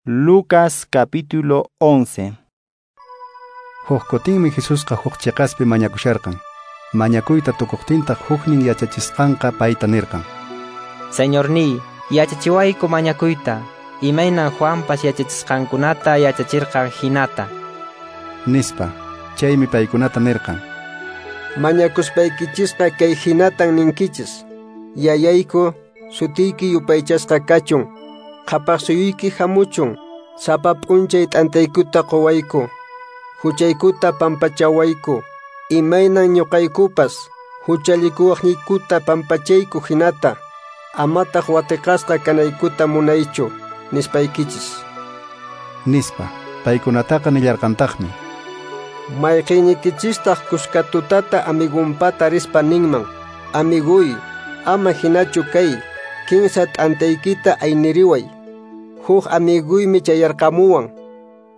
Lucas capítulo 11. Huk kutinmi Jesusqa huk chiqaspi mañakusharqan. Mañakuyta tukuqtintaq huknin yachachisqanqa payta nirqan: Señorniy, yachachiwayku mañakuyta, imaynan Juanpas yachachisqankunata yachachirqan hinata. Nispa. Chaymi paykunata nirqan: Mañakuspaykichisqa kay hinatan ninkichis: Yayayku, sutiyki yupaychasqa kachun, qhapaq suyuyki hamuchun, sapa p'unchay t'antaykuta quwayku, huchaykuta pampachawayku, imaynan ñuqaykupas huchallikuwaqniykuta pampachayku hinata, amataq watiqasqa kanaykuta munaychu, nispaykichis. Nispa. Paykunataqa nillarqantaqmi: Mayqinnikichistaq kuska tutata amigunpata rispa ninman: Amiguy, ama hinachu kay, kinsa t'antaykita ayniriway. Huk amiguymi chayarqamuwan,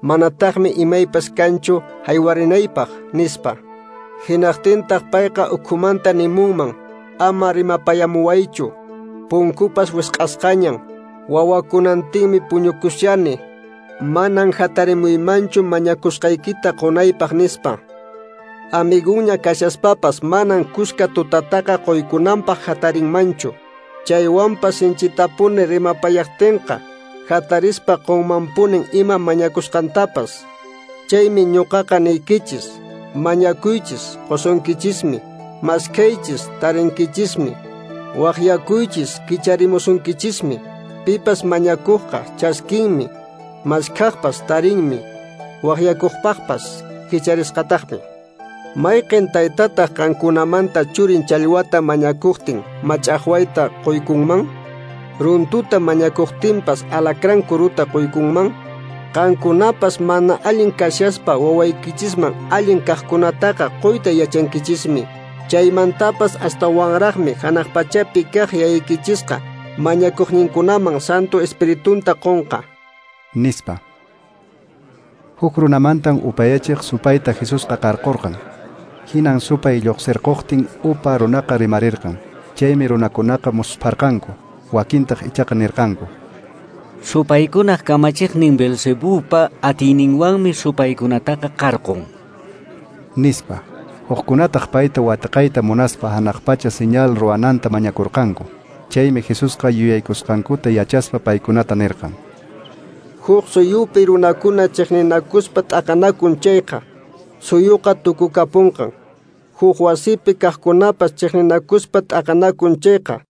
manataqmi imaypas kanchu haywarinaypaq, nispa. Hinaqtintaq payqa ukhumanta nimunman: Ama rimapayamuwaychu, punkupas wisq'asqañan, wawakunantinmi puñukushani, manan hatarimuymanchu mañakusqaykita qunaypaq, nispa. Amiguña kashaspapas manan kuska tutataqa quykunanpaq hatarinmanchu. Chaywanpas sinchitapuni rimapayaqtinqa hatarispa qunmanpunin ima mañakusqantapas. Chaymi ñuqaqa niykichis: mañakuychis, qusunkichismi; maskhaychis, tarinkichismi; waqyakuychis, kicharimusunkichismi. Pipas mañakuqqa chaskinmi, maskhaqpas tarinmi, waqyakuqpaqpas kicharisqataqmi. Mayqin taytataq qankunamanta churin challwata mañakuqtin mach'aqwayta quykunman? Runtuta mañakuqtinpas alacrán kuruta quykunman? Qankunapas mana allin kashaspa wawaykichisman allin kaqkunataqa quyta yachankichismi. Chaymantapas astawanraqmi hanaq pachapi kaq yayaykichisqa mañakuqninkunaman Santo Espiritunta qunqa. Nispa. Huk runamantan upayachiq supayta Jesusqa qarqurqan. Hinan supay lluqsirquqtin upa runaqa rimarirqan. Chaymi runakunaqa muspharqanku, wakintaq ichaqa nirqanku: Supaykunaq kamachiqnin Beelzebubpa atiyninwanmi supaykunataqa qarqun. Nispa. Hukkunataq payta watiqayta munaspa hanaq pacha señal ruwananta mañakurqanku. Chaymi Jesusqa yuyaykusqankuta yachaspa paykunata nirqan: Huk suyupi runakuna chiqninakuspa t'aqanakun chayqa, suyuqa tukukapunqan. Huk wasipi kaqkunapas chiqninakuspa t'aqanakun chayqa,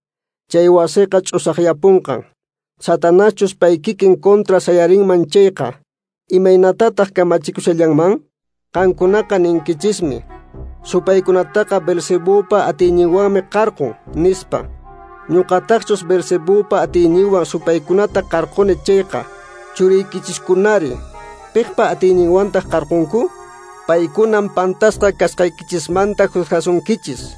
chay wasiqa ch'usaqyapunqan. Satanaschus pay kikin contra sayarinman chayqa, imaynatataq kamachikushallanman? Qankunaqa ninkichismi: Supaykunataqa Beelzebubpa atiyninwanmi qarqun, nispa. Ñuqataqchus Beelzebubpa atiyninwan supaykunata qarquni chayqa, churiykichiskunari, piqpa atiyninwantaq qarqunku? Paykunam pantasqa kasqaykichismanta juzgasunkichis.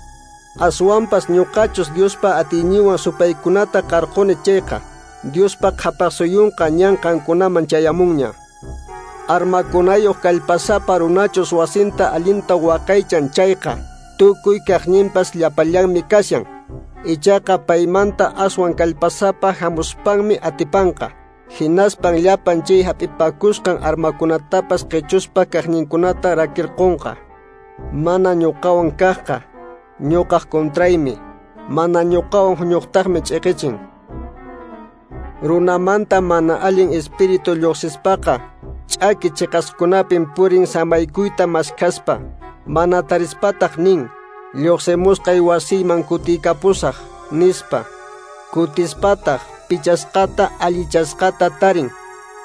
Aswanpas ñuqachus Diospa atiyninwan supaykunata qarquni chayqa, Diospa qhapaq suyunqa ñan qankunaman chayamunña. Armakunayuq kallpasapa runachus wasinta allinta waqaychan chayqa, tukuy kaqninpas llapallanmi kashan. Ichaqa paymanta aswan kallpasapa hamuspanmi atipanqa. Hinaspan llapan chay hap'ipakusqan armakunatapas qichuspa kaqninkunata rakirqunqa. Mana ñuqawan kaqqa ñuqaq contraymi, mana ñuqawan huñuqtaqmi ch'iqichin. Runamanta mana allin espíritu lluqsispaqa ch'aki chiqaskunapin purin samaykuyta maskhaspa, mana tarispataq nin: Lluqsimusqay wasiyman kutiykapusaq, nispa. Kutispataq pichasqata allichasqata tarin.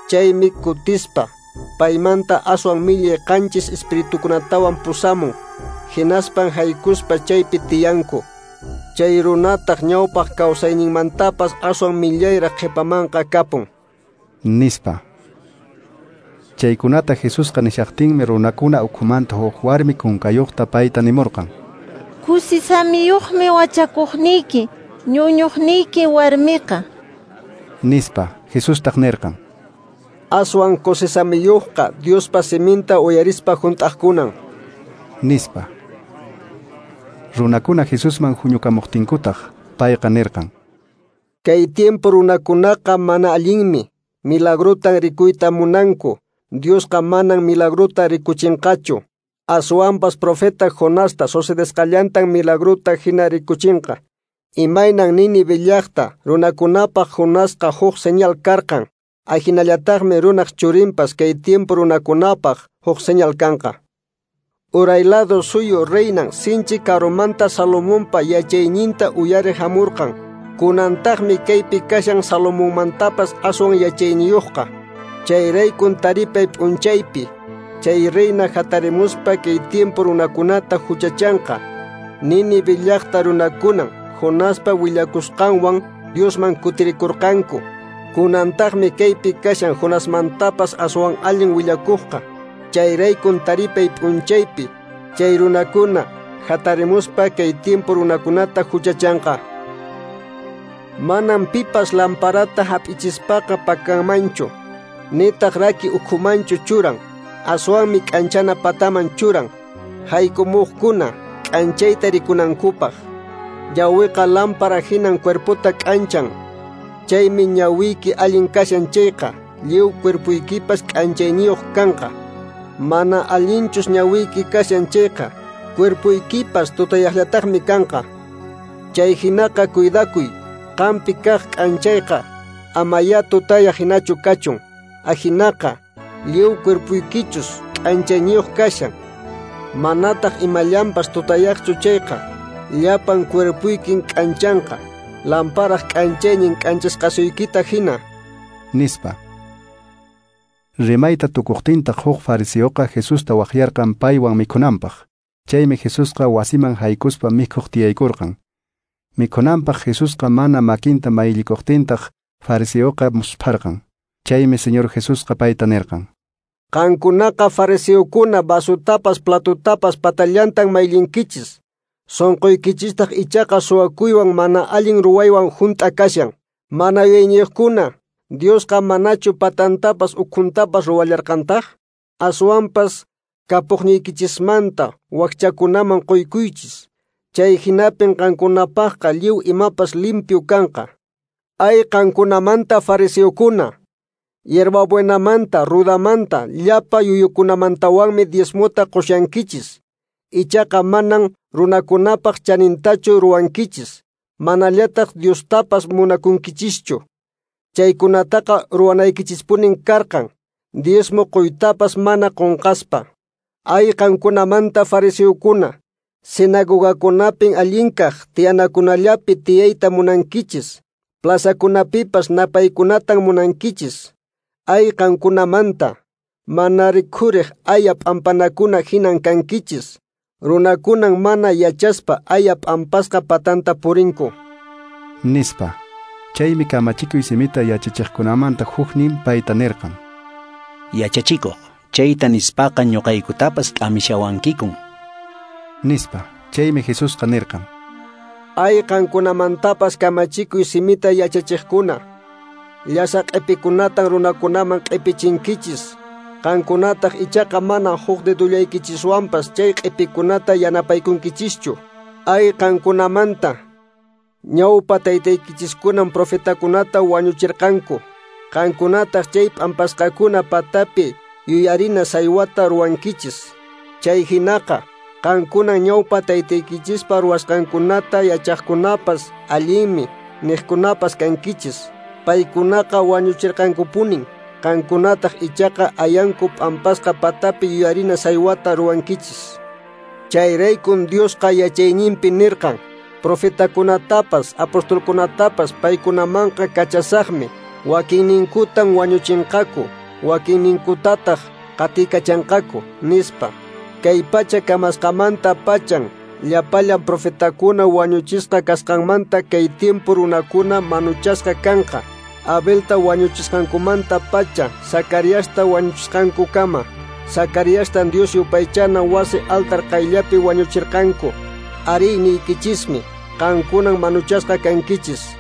Chaymi kutispa paymanta aswan millay qanchis espiritukunatawan pusamun. Hinaspan haykuspa chaypi tiyanku. Chay runataq ñawpaq kawsayninmantapas aswan millayraq qhipamanqa kapun. Nispa. Chaykunata Jesusqa nishaqtinmi runakuna ukhumanta huk warmi kunkayuqta payta nimurqan: Kusisamiyuqmi wachakuqniyki, ñuñuqniyki warmiqa. Nispa. Jesustaq nirqan: Aswan kusisamiyuqqa Diospa siminta uyarispa hunt'aqkunan. Nispa. Runakuna Jesusman huñukamuqtinkutaq payqa nirqan: Kay tiempo runakunaqa mana allinmi. Milagrotan rikuyta munanku. Diosqa manan milagrota rikuchinqachu. Aswanpas profeta Jonasta sucedesqallantan milagrota hina rikuchinqa. Imaynan Nínive llaqta runakunapaq Jonasqa huk señal karqan. Ahinallataqmi runaq churinpas kay tiempo runakunapaq huk señal kanqa. Uray lado suyu reinan sinchi karumanta Salomonpa yachayninta uyariq hamurqan. Kunantaqmi kaypi kashan Salomonmantapas aswan yachayniyuqqa. Chayraykun taripay p'unchaypi chay reina hatarimuspa kay tiempo runakunata huchachanqa. Nínive llaqta runakunan Jonaspa willakusqanwan Diosman kutirikurqanku. Kunantaqmi kaypi kashan Jonasmantapas aswan allin willakuqqa. Chayraykun taripay p'unchaypi chay runakuna hatarimuspa kay tiempo runakunata huchachanqa. Manam pipas lamparata hap'ichispaqa pakanmanchu, nitaq raki ukhumanchu churan, aswanmi k'anchana pataman churan, haykumuqkuna k'anchayta rikunankupaq. Ñawiqa lámpara hinan cuerpota k'anchan. Chaymi ñawiyki allin kashan chayqa, lliw cuerpuykipas k'anchayniyuq kanqa. Mana allinchus ñawiyki kashan chayqa, cuerpuykipas tutayaqllataqmi kanqa. Chay hinaqa cuidakuy, qampi kaq k'anchayqa, amaya tutayaq hinachu kachun. Ahinaqa, lliw cuerpuykichus k'anchayniyuq kashan. Manataq imallanpas tutayaqchu chayqa, llapan cuerpuykin k'anchanqa, lamparaq k'anchaynin k'anchasqasuykita hina. Nispa. Rimayta tukuqtintaq huk fariseoqa Jesusta waqyarqan paywan mikhunanpaq. Chaymi Jesusqa wasiman haykuspa mikhuq tiyaykurqan. Mikhunanpaq Jesusqa mana makinta mayllikuqtintaq fariseoqa muspharqan. Chaymi Señor Jesusqa payta nirqan: Qankunaqa fariseokuna vasutapas platotapas patallantan mayllinkichis. Sonqoykichistaq ichaqa suwakuywan mana allin ruwaywan hunt'a kashan. Mana yuyayniyuqkuna, Diosqa manachu patantapas ukhuntapas ruwallarqantaq? Aswanpas kapuqniykichismanta wakchakunaman quykuychis. Chay hinapin qankunapaqqa lliw imapas limpio kanqa. Ay qankunamanta fariseokuna, hierbabuenamanta, rudamanta, llapa yuyukunamantawanmi diezmota qushankichis. Ichaqa manan runakunapaq chanintachu ruwankichis, manallataq Diostapas munakunkichischu. Chaykunataqa ruwanaykichispunin karqan, diezmo quytapas mana qunqaspa. Ay qankunamanta fariseokuna, sinagogakunapin allinkaq tiyanakunallapi tiyayta munankichis, plazakunapipas napaykunatan munankichis. Ay qankunamanta, mana rikhuriq aya p'ampanakuna hinan kankichis. Runakunan mana yachaspa aya p'ampasqa patanta purinku. Nispa. Chaymi kamachikuy simita yachachiqkunamanta huknin payta nirqan: Yachachikuq, chayta nispaqa ñuqaykutapas k'amishawankikun. Nispa. Chaymi Jesusqa nirqan: Ay qankunamantapas kamachikuy simita yachachiqkuna, llasa q'ipikunatan runakunaman q'ipichinkichis. Qankunataq ichaqa mana huk dedullaykichiswanpas chay q'ipikunata yanapaykunkichischu. Ay qankunamanta, ñawpa taytaykichiskunan profetakunata wañuchirqanku. Qankunataq chay p'ampasqakuna patapi yuyarina saywata ruwankichis. Chay hinaqa, qankunan ñawpa taytaykichispa ruwasqankunata yachaqkunapas allinmi niqkunapas kankichis. Paykunaqa wañuchirqankupunin. Qankunataq ichaqa ayanku p'ampasqa patapi yuyarina saywata ruwankichis. Chayraykun Diosqa yachayninpi nirqan: profetakunatapas, apostolkunatapas paykunamanqa kachasaqmi. Wakinninkutan wañuchinqaku, wakinninkutataq qatikachanqaku, nispa. Kay pacha kamasqamanta pachan llapallan profetakuna wañuchisqa kasqanmanta kay tiempo runakuna manuchasqa kanqa. Abelta wañuchisqankumanta pacha, Zacariasta wañuchisqankukama. Zacariastan Dios yupaychana wasi altar qayllapi wañuchirqanku. Ari niykichismi, qankunan manuchasqa kankichis.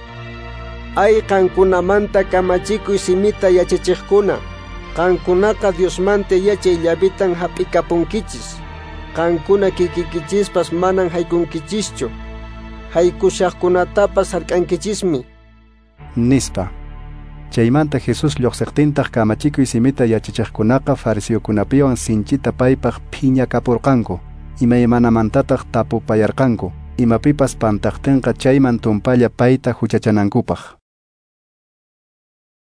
Ay qankunamanta kamachikuy simita yachachiqkuna, qankunaqa Diosmanta yachay llavitan hap'ikapunkichis. Qankuna kikikichispas manan haykunkichischu, haykushaqkunatapas hark'ankichismi. Nispa. Chaymanta Jesús lluqsiqtintaq kamachikuy simita yachachiqkunaqa fariseokunapiwan sinchita paypaq phiñakapurqanku, imaymanamantataq tapupayarqanku, imapipas pantaqtinqa chayman tumpalla payta huchachanankupaq.